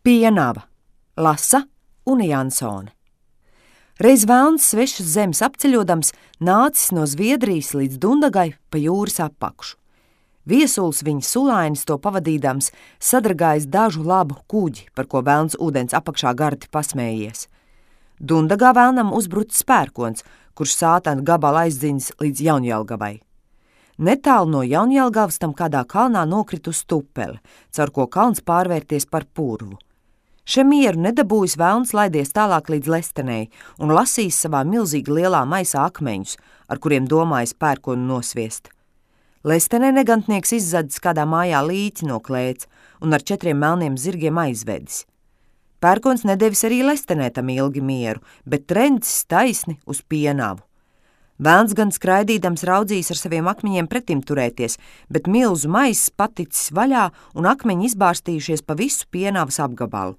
Pienava, lasa Une Jansone. Reiz velns svešas zemes apceļodams nācis no Zviedrijas līdz Dundagai pa jūras apakšu. Viesuls viņa sulainis to pavadīdams sadragājis dažu labu kuģi, par ko velns ūdens apakšā gardi pasmējies. Dundagā velnam uzbrucis pērkons, kurš sātana gabalu aizdzinis līdz Jaunjelgavai. Netālu no Jaunjelgavas tam kādā kalnā nokrit uz tupeli, caur ko kalns pārvērties par purvu. Še mieru nedabūjis velns laidies tālāk līdz Lestenei un lasīs savā milzīgi lielā maisā akmeņus, ar kuriem domājis pērkonu nosviest. Lestenē negantnieks izzadzis kādā mājā līķi no klēts un ar 4 melniem zirgiem aizvedis. Pērkons nedevis arī Lestenē tam ilgi mieru, bet trencis taisni uz Pienavu. Velns gan skraidīdams raudzījis ar saviem akmeņiem pretim turēties, bet milzu maiss paticis vaļā un akmeņi izbārstījušies pa visu Pienavas apgabalu.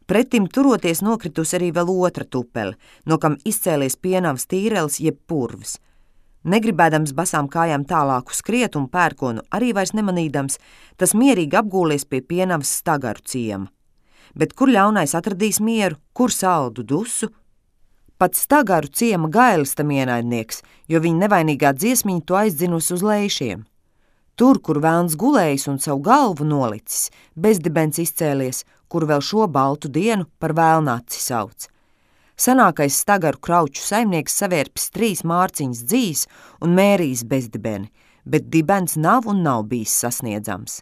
Pretim turoties nokritus arī vēl otra tupele, no kam izcēlies Pienavas tīrelis jeb purvs. Negribēdams basām kājām tālāku skriet un pērkonu arī vairs nemanīdams, tas mierīgi apgūlies pie Pienavas Stagaru ciema. Bet kur ļaunais atradīs mieru, kur saldu dusu? Pats Stagaru ciema Gailis tam ienaidnieks, jo viņa nevainīgā dziesmiņa to aizdzinusi uz lejšiem. Tur, kur velns gulējis un savu galvu nolicis, bezdibens izcēlies, kur vēl šo baltu dienu par vēlnaci sauc. Senākais Stagaru krauču saimnieks savērpis 3 mārciņas dzīs un mērījis bezdibeni, bet dibens nav un nav bijis sasniedzams.